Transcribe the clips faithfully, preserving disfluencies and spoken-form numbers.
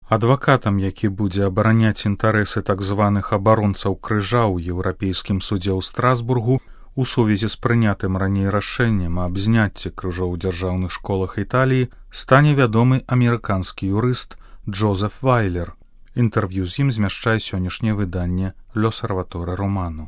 Адвакатам, які будзе абараняць інтарэсы так званых абаронцаў крыжа ў Еўрапейскім судзе ў Страсбургу у сувязі з прынятым раней рашэннем аб зняцці крыжоў у дзяржаўных школах Італіі, стане вядомы амерыканскі юрыст Джозеф Вайлер. Інтэрв'ю з ім змяшчае сённяшняе выданне «L'Osservatore Romano».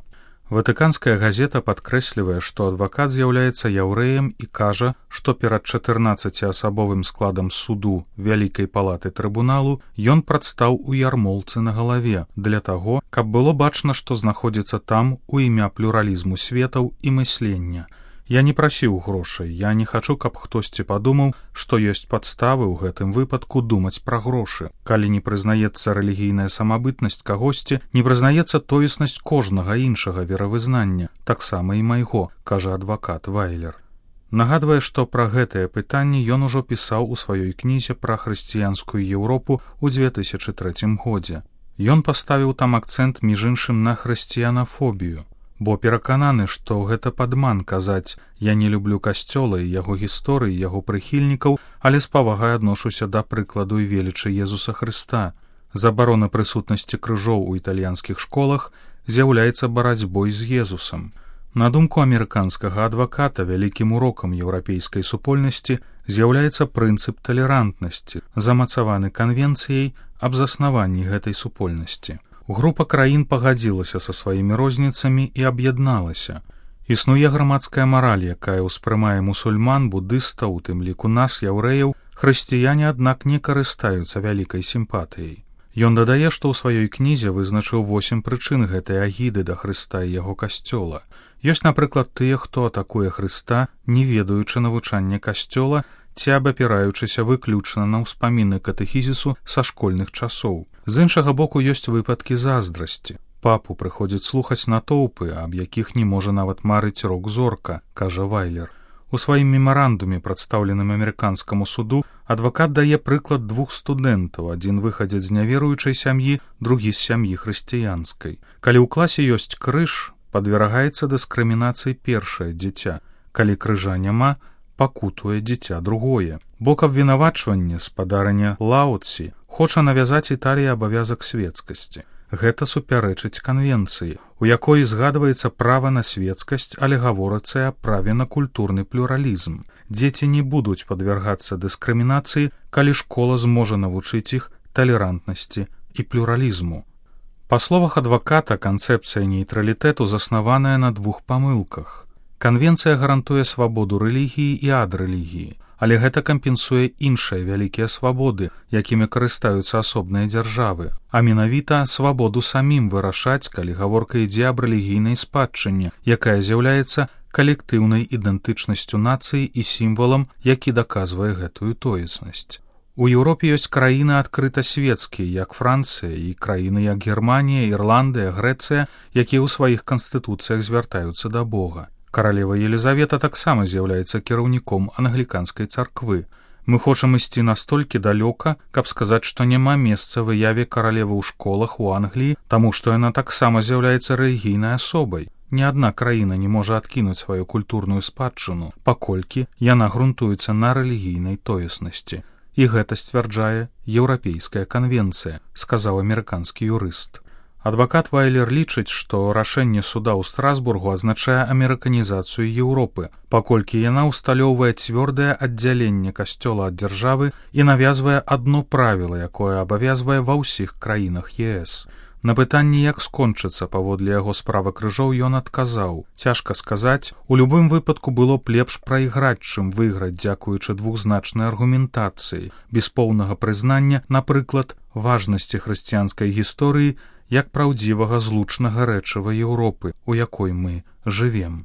Ватыканская газета падкрэслівае, што адвакат з'яўляецца яўрэем і кажа, што перад чатырнаццаціасабовым складам суду Вялікай палаты трыбуналу ён прадстаў у ярмолцы на галаве для таго, каб было бачна, што знаходзіцца там у імя плюралізму светаў і мыслення. Я не прасіў грошай, я не хачу, каб хтосьці падумаў, што ёсць падставы ў гэтым выпадку думаць пра грошы. Калі не прызнаецца рэлігійная самабытнасць кагосьці, не прызнаецца тоеснасць кожнага іншага веравызнання, таксама і майго, кажа адвакат Вайлер. Нагадвае, што пра гэтае пытанне ён ужо пісаў у сваёй кнізе пра хрысціянскую Еўропу ў дзве тысячы трэцім годзе. Ён паставіў там акцэнт між іншым на хрысціянафобію, бо перакананы, што гэта падман казаць «я не люблю касцёла і яго гісторыі, яго прыхільнікаў, але з павагай адношуся да прыкладу і велічы Езуса Хрыста». Забарона прысутнасці крыжоў у італьянскіх школах з'яўляецца барацьбой з Езусам. На думку амерыканскага адваката, вялікім урокам еўрапейскай супольнасці з'яўляецца прынцып талерантнасці, замацаваны канвенцыяй аб заснаванні гэтай супольнасці. Група краін пагадзілася са сваімі розніцамі і аб'ядналася. Існуе грамадская мараль, якая ўспрымае мусульман, будыстаў, у тым ліку нас, яўрэяў, хрысціяне, аднак, не карыстаюцца вялікай сімпатыяй. Ён дадае, што ў сваёй кнізе вызначыў восем прычын гэтай агіды да Хрыста і яго касцёла. Ёсць, напрыклад, тыя, хто атакуе Хрыста, не ведаючы навучання касцёла ці абапіраючыся выключна на ўспаміны катэхізісу са школьных часоў. З іншага боку, ёсць выпадкі заздрасці. Папу прыходзіць слухаць натоўпы, аб якіх не можа нават марыць рок-зорка, кажа Вайлер. У сваім мемарандуме, прадстаўленым амерыканскаму суду, адвакат дае прыклад двух студэнтаў, адзін выхадзец з няверуючай сям'і, другі з сям'і хрысціянскай. Калі ў класе ёсць крыж, падвергаецца дыскрымінацыі першае дзіця. Калі крыжа няма, пакутуе дзіця другое. Бок абвінавачвання, спадарня Лаоці, хоча навязаць Італіі абавязак свецкасці. Гэта супярэчыць канвенцыі, у якой згадваецца права на свецкасць, але гаворыцца аб праве на культурны плюралізм. Дзеці не будуць падвяргацца дыскрымінацыі, калі школа зможа навучыць іх талерантнасці і плюралізму. Па словах адваката, канцэпцыя нейтралітэту заснаваная на двух памылках. Канвенцыя гарантуе свабоду рэлігіі і ад рэлігіі, але гэта кампенсуе іншыя вялікія свабоды, якімі карыстаюцца асобныя дзяржавы, а менавіта свабоду самім вырашаць, калі гаворка ідзе аб рэлігійнай спадчыне, якая з'яўляецца калектыўнай ідэнтычнасцю нацыі і сімвалам, які даказвае гэтую тоеснасць. У Еўропе ёсць краіны адкрыта свецкія, як Францыя, і краіны, як Германія, Ірландыя, Грэцыя, якія ў сваіх канстытуцыях звяртаюцца да Бога. Каралева Елізавета таксама з'яўляецца кіраўніком англіканскай царквы. Мы хочам ісці настолькі далёка, каб сказаць, што няма месца выяве каралевы ў школах у Англіі, таму што яна таксама з'яўляецца рэлігійнай асобай. Ні адна краіна не можа адкінуць сваю культурную спадчыну, паколькі яна грунтуецца на рэлігійнай тоеснасці. І гэта сцвярджае Еўрапейская канвенцыя, сказаў амерыканскі юрыст. Адвакат Вайлер лічыць, што рашэнне суда ў Страсбургу азначае амерыканізацыю Еўропы, паколькі яна ўсталёўвае цвёрдае аддзяленне касцёла ад дзяржавы і навязвае адно правіла, якое абавязвае ва ўсіх краінах е эс. На пытанне, як скончыцца паводле яго справа крыжоў, ён адказаў: «Цяжка сказаць, у любым выпадку было б лепш прайграць, чым выйграць, дзякуючы двухзначнай аргументацыі, без поўнага прызнання, напрыклад, важнасці хрысціянскай гісторыі як праўдзівага злучнага рэчыва Еўропы, у якой мы жывем».